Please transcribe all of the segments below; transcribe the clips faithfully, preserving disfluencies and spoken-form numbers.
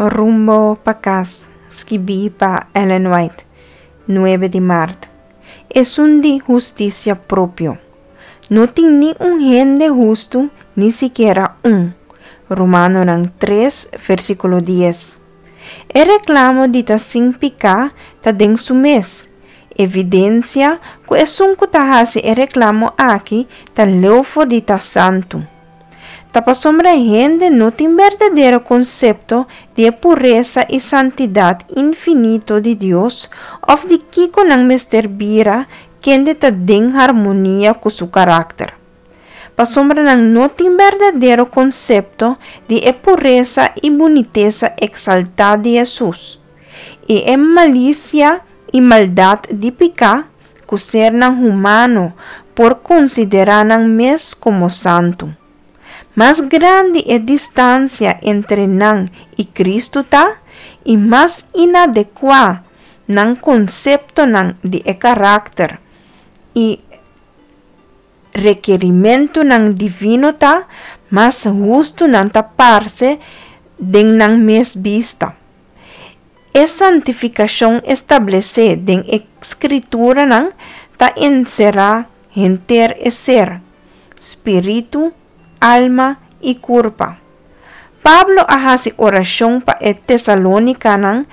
Rumbo pa Kas, skibí pa Ellen White, nuebe di mart. Esun di hustisia propio. No tin ni un hende hustu, ni sikiera un. Romanonan tres, versíkulo dies. E reklamo di ta sin piká ta den su mes evidensia ku esun ku ta hasi e reklamo aki ta leu for di ta santu. Ta pasobra hende no tin berdadero konsepto di e puresa i santidat infinito di Dios òf di kiko nan mester bira kende ta den harmonia ku su karakter. Pasobra nan no tin berdadero konsepto di e puresa i bunitesa eksaltá di Hesus, i e malisia i maldat di piká ku sernan humano por konsiderá nan mes komo santu. Mas grandi e distansia entre nan i Kristu ta, i mas inadekuá nan konseptonan di e karakter i rekerimentunan divino ta, mas hustu nan ta parse den nan mes bista. E santifikashon establesé den e Skrituranan ta enserá henter e ser, spiritu, alma i kurpa. Pablo a hasi orashon pa e Tesalonikanan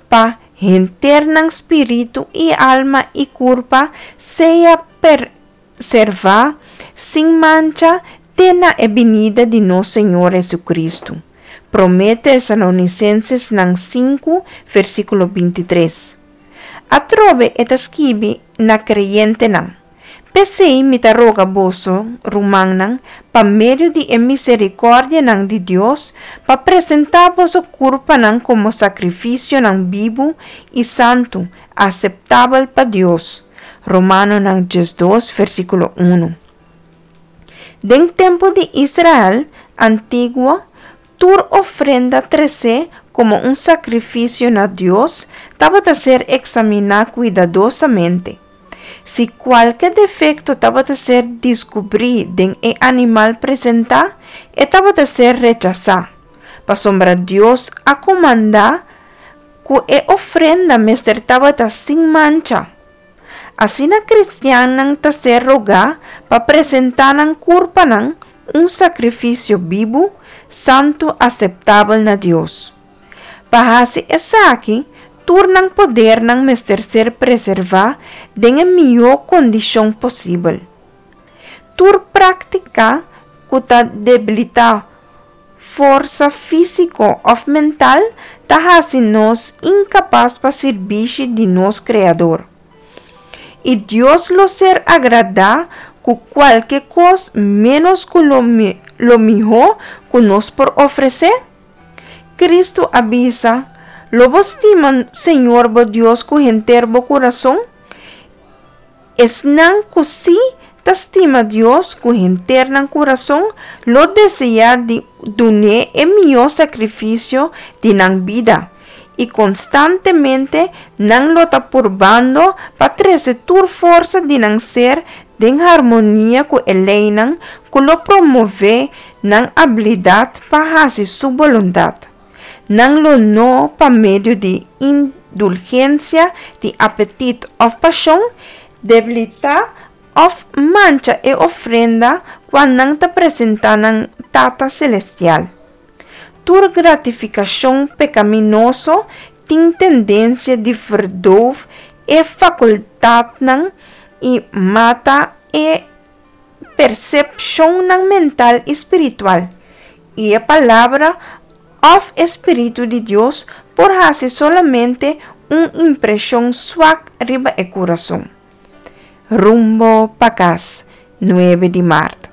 pa henter nan spiritu i alma i kurpa sea preservá sin mancha te na e binida di nos Señor Jesucristo. Promé Tesalonicenses nan sinku, versíkulo bintitres. Atrobe e ta skibi na kreyentenan: P'esei mi ta roga boso, rumannan, pa medio di e miserikòrdianan di Dios, pa presentá boso kurpanan komo sakrifisionan bibu i santu, aseptabel pa Dios. Romanonan diesdos, versíkulo un. Den tempu di Israel antiguo, tur ofrenda tresé komo un sakrifisio na Dios tabata ser eksaminá kuidadosamente. Si kualke defekto tabata ser deskubrí den e animal presentá, e tabata ser rechasá. Pasobra Dios a komandá ku e ofrenda mester tabata sin mancha. Asina kristiannan ta ser rogá pa presentá nan kurpanan un sakrifisio bibu, santu, aseptabel na Dios. Pa hasi esaki, tur nan podernan mester ser preservá den e mihó kondishon posibel. Tur práktika ku ta debilitá forsa físiko òf mental ta hasi nos inkapas pa sirbishi di nos Kreador. I Dios lo ser agradá ku kualke kos ménos ku lo, lo mihó ku nos por ofresé? Kristu a bisa: "Lo bo stima Señor bo Dios ku henter bo kurason?" Esnan ku sí ta stima Dios ku henter nan kurason lo deseá di dun'é e mihó sakrifisio di nan bida i konstantemente nan lo ta purbando pa trese tur forsa di nan ser den harmonia ku e leinan ku lo promové nan abilidat pa hasi su boluntat. Nan lo no, pa medio di indulgensia di apetit òf pashon, debilitá òf mancha e ofrenda ku nan ta presentá na Tata Selestial. Tur gratifikashon pekaminoso tin tendensia di verdoof e fakultatnan i mata e persepshonnan mental i spiritual. I e palabra òf e spiritu di Dios por hasi solamente un impreshon suak riba e kurason. Rumbo pa Kas, nuebe di mart.